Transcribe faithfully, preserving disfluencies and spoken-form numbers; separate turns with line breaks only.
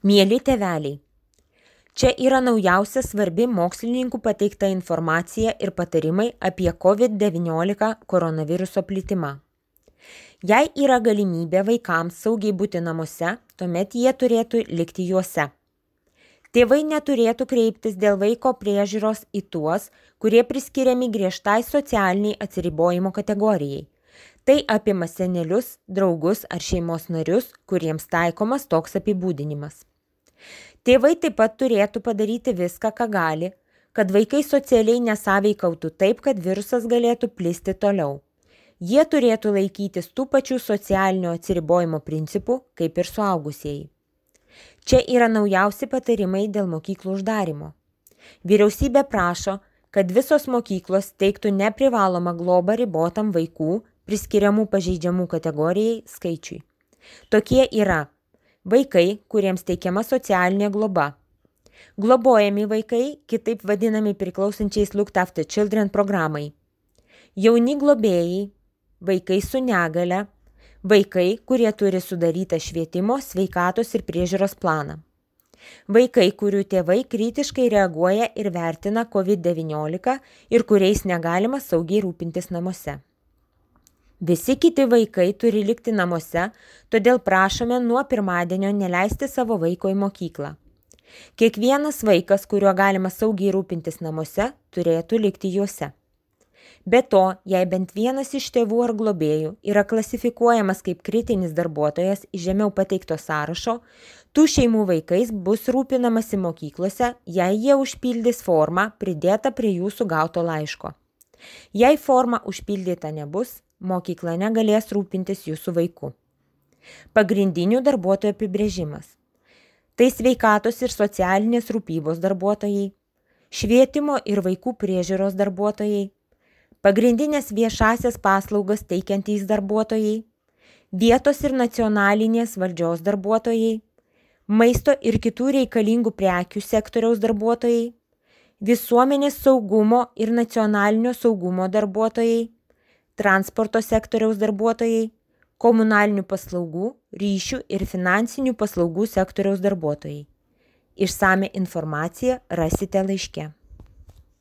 Mieli tėveliai, čia yra naujausia svarbi mokslininkų pateikta informacija ir patarimai apie COVID devyniolika koronaviruso plitimą. Jei yra galimybė vaikams saugiai būti namuose, tuomet jie turėtų likti juose. Tėvai neturėtų kreiptis dėl vaiko priežiūros į tuos, kurie priskiriami griežtai socialiniai atsiribojimo kategorijai. Tai apima senelius, draugus ar šeimos narius, kuriems taikomas toks apibūdinimas. Tėvai taip pat turėtų padaryti viską, ką gali, kad vaikai socialiai nesąveikautų taip, kad virusas galėtų plisti toliau. Jie turėtų laikytis tų pačių socialinio atsiribojimo principų, kaip ir suaugusieji. Čia yra naujausi patarimai dėl mokyklų uždarimo. Vyriausybė prašo, kad visos mokyklos teiktų neprivalomą globą ribotam vaikų, priskiriamų pažeidžiamų kategorijai skaičiui. Tokie yra vaikai, kuriems teikiama socialinė globa. Globojami vaikai, kitaip vadinami priklausančiais Looked After Children programai. Jauni globėjai, vaikai su negale, vaikai, kurie turi sudarytą švietimo, sveikatos ir priežiūros planą. Vaikai, kurių tėvai kritiškai reaguoja ir vertina COVID devyniolika ir kuriais negalima saugiai rūpintis namuose. Visi kiti vaikai turi likti namuose, todėl prašome nuo pirmadienio neleisti savo vaiko į mokyklą. Kiekvienas vaikas, kuriuo galima saugiai rūpintis namuose, turėtų likti juose. Be to, jei bent vienas iš tėvų ar globėjų yra klasifikuojamas kaip kritinis darbuotojas iš žemiau pateikto sąrašo, tų šeimų vaikais bus rūpinamasi mokyklose, jei jie užpildys formą pridėtą prie jūsų gauto laiško. Jei forma užpildyta nebus, mokykla negalės rūpintis jūsų vaiku. Pagrindinių darbuotojų apibrėžimas. Tai sveikatos ir socialinės rūpybos darbuotojai, švietimo ir vaikų priežiūros darbuotojai, pagrindinės viešasias paslaugas teikiantys darbuotojai, vietos ir nacionalinės valdžios darbuotojai, maisto ir kitų reikalingų prekių sektoriaus darbuotojai, visuomenės saugumo ir nacionalinio saugumo darbuotojai, transporto sektoriaus darbuotojai, komunalinių paslaugų, ryšių ir finansinių paslaugų sektoriaus darbuotojai. Išsamią informaciją rasite laiške.